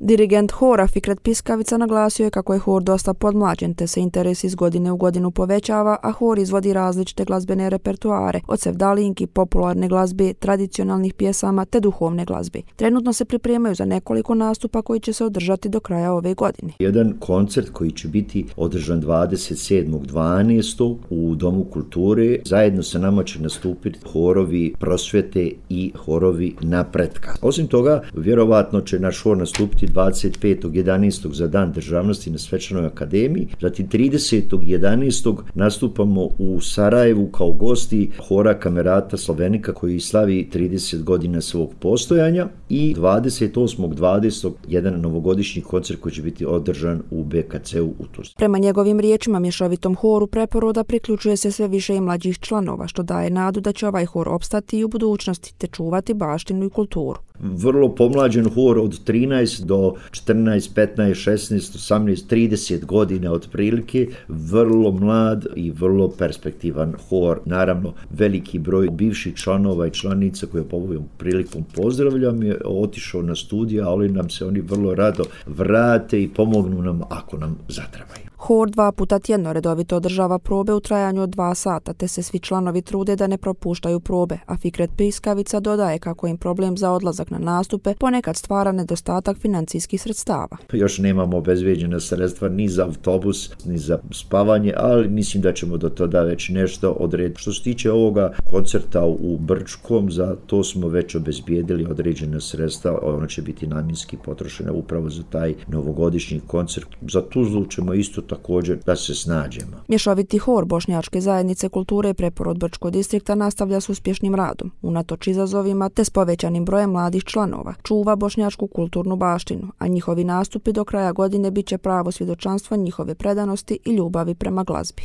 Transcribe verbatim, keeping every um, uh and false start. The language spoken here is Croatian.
Dirigent hora Fikret Piskavica naglasio je kako je hor dosta podmlađen te se interes iz godine u godinu povećava, a hor izvodi različite glazbene repertoare, od sevdalinki, popularne glazbe, tradicionalnih pjesama te duhovne glazbe. Trenutno se pripremaju za nekoliko nastupa koji će se održati do kraja ove godine. Jedan koncert koji će biti održan dvadeset sedmog dvanaestog u Domu kulture. Zajedno sa nama će nastupiti horovi Prosvjete i horovi Napretka. Osim toga, vjerovatno će naš hor nastupiti dvadeset petog jedanaestog za Dan državnosti na Svečanoj akademiji. Zatim tridesetog jedanaestog nastupamo u Sarajevu kao gosti hora Kamerata Slovenika koji slavi trideset godina svog postojanja i dvadeset osmog dvadesetog jedan novogodišnji koncert koji će biti održan u B K C-u u Tuzli. Prema njegovim riječima, mješovitom horu Preporoda priključuje se sve više i mlađih članova, što daje nadu da će ovaj hor opstati i u budućnosti te čuvati baštinu i kulturu. Vrlo pomlađen hor od trinaest do četrnaest, petnaest, šesnaest, osamnaest, trideset godina otprilike, vrlo mlad i vrlo perspektivan hor. Naravno, veliki broj bivših članova i članica koje ovom prilikom pozdravljam je otišao na studija, ali nam se oni vrlo rado vrate i pomognu nam ako nam zatrebaju. Hor dva puta tjedno redovito održava probe u trajanju od dva sata, te se svi članovi trude da ne propuštaju probe, a Fikret Piskavica dodaje kako im problem za odlazak na nastupe ponekad stvara nedostatak financijskih sredstava. Još nemamo obezbeđena sredstva ni za autobus, ni za spavanje, ali mislim da ćemo do tada već nešto odrediti. Što se tiče ovoga koncerta u Brčkom, za to smo već obezbijedili određena sredstva, ono će biti namjenski potrošena upravo za taj novogodišnji koncert. Za Tuzlu ćemo isto također da se snađemo. Mješoviti hor Bošnjačke zajednice kulture Preporod Brčkog distrikta nastavlja s uspješnim radom, unatoč izazovima te s povećanim brojem mladih članova, čuva bošnjačku kulturnu baštinu, a njihovi nastupi do kraja godine bit će pravo svjedočanstvo njihove predanosti i ljubavi prema glazbi.